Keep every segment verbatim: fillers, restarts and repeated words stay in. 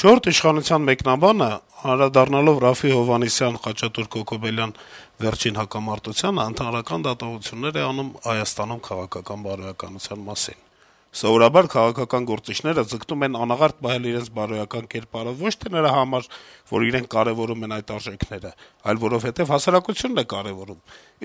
Չորրորդ իշխանության մեկնաբանը, անդրադառնալով Րաֆֆի Հովհաննիսյան, Խաչատուր Քոքոբելյան վերջին հակամարտությանը, ընդհանրական դատողություններ է անում Հայաստանում քաղաքական բարոյականության մասին. Սովորաբար քաղաքական գործիչները ձգտում են անաղարտ պահել իրենց բարոյական կերպարը ոչ թե նրա համար, որ իրենք կարեւորում են այդ արժեքները, այլ որովհետեւ հասարակությունն է կարեւորում,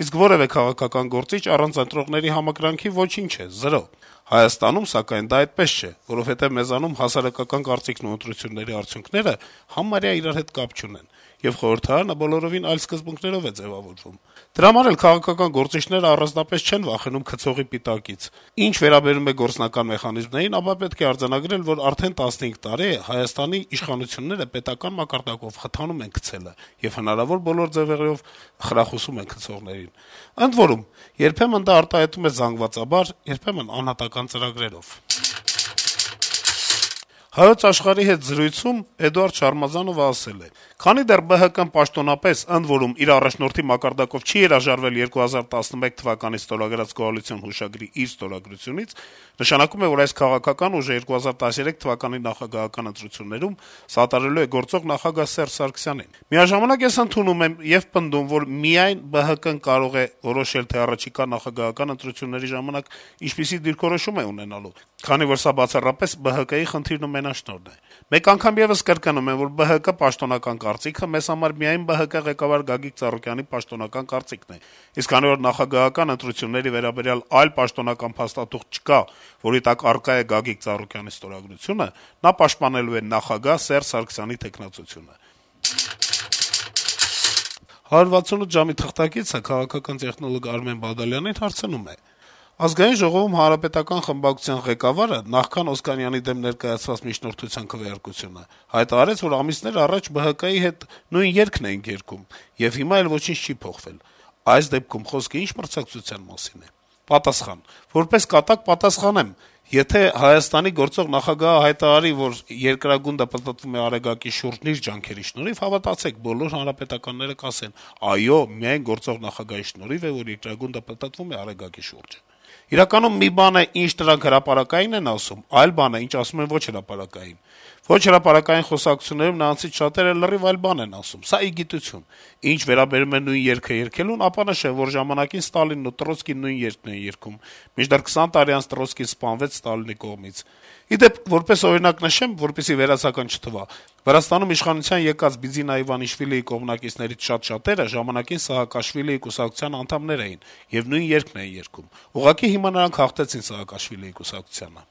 իսկ որեւէ քաղաքական գործիչ առանց ընտրողների համակրանքի ոչինչ է, զրո: Հայաստանում, սակայն, դա այդպես չէ, որովհետեւ մեզանում հասարակական կարծիքն ու ընտրությունների արդյունքները համարյա իրար հետ կապ չունեն, եւ խորհրդարանը բոլորովին այլ սկզբունքներով է ձեւավորվում: Դրա համար էլ քաղաքական գործիչները առանձնապես չեն վախենում քցողի պիտակից: Ինչ վերաբերում է գործնական մեխանիզմներին, ապա պետք է արձանագրել, որ արդեն տասնհինգ տարի է Հայաստանի իշխանությունները պետական մակարդակով խթանում են քցելը եւ հնարավոր բոլոր ձեւերով խրախուսում են քցողներին: Ընդ որում, երբեմն դա արտահայտվում է զանգվածաբար, երբեմն անհատական ծրագրերով»: «Հայոց Աշխարհ»-ի հետ զրույցում Էդուարդ Շարմազանովը ասել է. - «Քանի դեռ ԲՀԿ-ն պաշտոնապես, ընդ որում, իր առաջնորդի մակարդակով չի հրաժարվել երկու հազար տասնմեկ թվականի ստորագրած կոալիցիոն հուշագրի իր ստորագրությունից, նշանակում է, որ այս քաղաքական ուժը երկու հազար տասներեք թվականի նախագահական ընտրություններում սատարելու է գործող նախագահ Սերժ Սարգսյանին: Միաժամանակ ես ընդունում եմ եւ պնդում, որ միայն ԲՀԿ-ն կարող է որոշել, թե առաջիկա նախագահական ընտրությունների ժամանակ ինչպիսի դիրքորոշում է ունենալու, քանի որ սա բացառապես ԲՀԿ-ի խնդիրն ու մենաշնորհն է: Մեկ անգամ եւս կրկնում եմ, որ ԲՀԿ պաշտոնական կարծիքը մեզ համար միայն ԲՀԿ ղեկավար Գագիկ Ծառուկյանի պաշտոնական կարծիքն է, իսկ քանի որ նախագահական ընտրությունների վերաբերյալ այլ պաշտոնական փաստաթուղթ չկա, որի տակ առկա է Գագիկ Ծառուկյանի ստորագրությունը, նա պաշտպանելու է նախագահ Սերժ Սարգսյանի թեկնածությունը»: «հարյուր վաթսունութ ժամ»-ի թղթակիցը քաղաքական տեխնոլոգ Արմեն Բադալյանին հարցնում է. - «Ազգային ժողովում Հանրապետական խմբակցության ղեկավարը նախքան Օսկանյանի դեմ ներկայացված միջնորդության քվեարկությունը հայտարարեց, որ ամիսներ առաջ ԲՀԿ-ի հետ նույն երգն էինք երգում, եւ հիմա էլ ոչինչ չի փոխվել: Այս դեպքում խոսքը ի՞նչ մրցակցության մասին է»: Պատասխան. - «Որպես կատակ պատասխանեմ. եթե Հայաստանի գործող նախագահը հայտարարի, որ երկրագունդը պտտվում է Արեգակի շուրջն իր ջանքերի շնորհիվ, հավատացեք, բոլոր հանրապետականները կասեն. այո, միայն գործող նախագահի շնորհիվ է, որ երկրագունդը պտտվում է Արեգակի շուրջը: Իրականում մի բան է, ինչ նրանք հրապարակային են ասում, այլ բան է, ինչ ասում են ոչ հրապարակային: Ոչ հրապարակային խոսակցություններում նրանցից շատերը լրիվ այլ բան են ասում: Սա ի գիտություն: Ինչ վերաբերում է նույն երգը երգելուն, ապա նշեմ, որ ժամանակին Ստալինն ու Տրոցկին նույն երգն էին երգում, մինչդեռ քսան տարի անց Տրոցկին սպանվեց Ստալինի կողմից: Ի դեպ, որպես օրինակ նշեմ, որպեսզի վերացական չթվա, Վրաստանում իշխանության եկած Բիձինա Իվանիշվիլիի կողմնակիցներից շատ-շատերը ժամանակին Սաակաշվիլիի կուսակցության անդամներ էին եւ նույն երգն էին երգում: Ուղղակի հիմա նրանք հաղթեցին Սաակաշվիլիի կուսակցությանը»: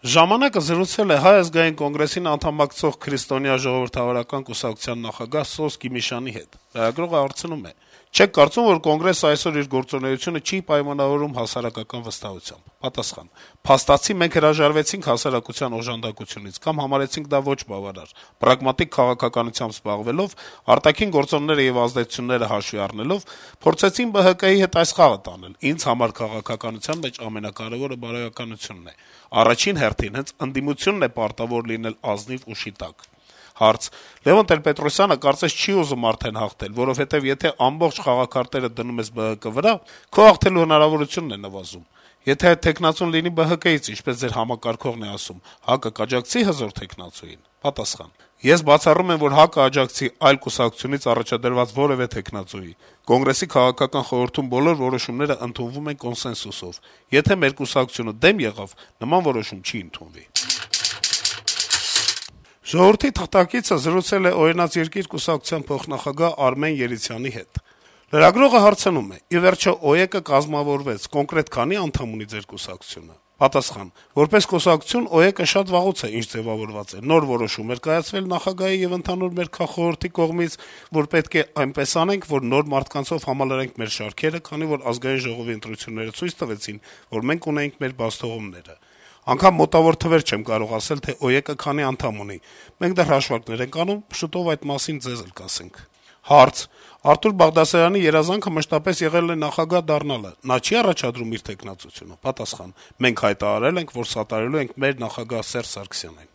«Ժամանակ»-ը զրուցել է Հայ ազգային կոնգրեսին անդամակցող Քրիստոնյա ժողովրդավարական կուսակցության նախագահ Սոս Գիմիշյանի հետ: Լրագրողը հարցնում է. - «Չե՞ք կարծում, որ Կոնգրեսը այսօր իր գործունեությունը չի պայմանավորում հասարակական վստահությամբ»: Պատասխան. - «Փաստացի մենք հրաժարվեցինք հասարակության օժանդակությունից կամ համարեցինք դա ոչ բավարար: Պրագմատիկ քաղաքականությամբ զբաղվելով, արտաքին գործոնները եւ ազդեցությունները հաշվի առնելով, փորձեցինք ԲՀԿ-ի հետ այս խաղը տանել: Ինձ համար քաղաքականության մեջ ամենակարեւորը բարոյականությունն է: Առաջին հերթին հենց ընդդիմությունն է պարտավոր լինել ազնիվ ուժի տակ»: Հարց. - «Լեւոն Տեր-Պետրոսյանը կարծես չի ուզում արդեն հաղթել, որովհետեւ եթե ամբողջ խաղաքարտերը դնում ես ԲՀԿ վրա, քո հաղթելու հնարավորությունն է նվազում: Եթե այդ թեկնածուն լինի ԲՀԿ-ից, ինչպես ձեր համակարգողն է ասում, ՀԱԿ-ը կաջակցի հզոր թեկնածուին»: Պատասխան. - «Ես բացառում եմ, որ ՀԱԿ-ը աջակցի այլ կուսակցությունից առաջադրված որեւէ թեկնածուի: Կոնգրեսի քաղաքական խորհրդում բոլոր որոշումները ընդունվում են կոնսենսուսով: Եթե մեր կուսակցությունը դեմ եղավ, նման որոշում չի ընդունվի»: «Ժողովուրդ» թերթի թղթակիցը զրուցել է «Օրինաց երկիր» կուսակցության փոխնախագահ Արմեն Երիցյանի հետ: Լրագրողը հարցնում է. - «Ի վերջո, ՕԵԿ-ը կազմավորվեց, կոնկրետ քանի՞ անդամ ունի ձեր կուսակցությունը»: Պատասխան. - «Որպես կուսակցություն ՕԵԿ-ը շատ վաղուց է ինչ ձեւավորված է: Նոր որոշում էր կայացվել նախագահի եւ ընդհանուր մեր քաղխորհրդի կողմից, որ պետք է այնպես անենք, որ նոր մարդկանցով համալրենք մեր շարքերը, քանի որ Ազգային ժողովի ընտրությունները ցույց տվեցին, որ մենք ունեինք մեր բացթողումները: Անգամ մոտավոր թվեր չեմ կարող ասել, թե ՕԵԿ-ը քանի անդամ ունի: Մենք դեռ հաշվարկներ ենք անում, շուտով այդ մասին ձեզ էլ կասենք»: Հարց. - «Արթուր Բաղդասարյանի երազանքը մշտապես եղել է նախագահ դառնալը: Նա չի՞ առաջադրում իր թեկնածությունը»: Պատասխան. - «Մենք հայտարարել ենք, որ սատարելու ենք մեր նախագահ Սերժ Սարգսյանին»: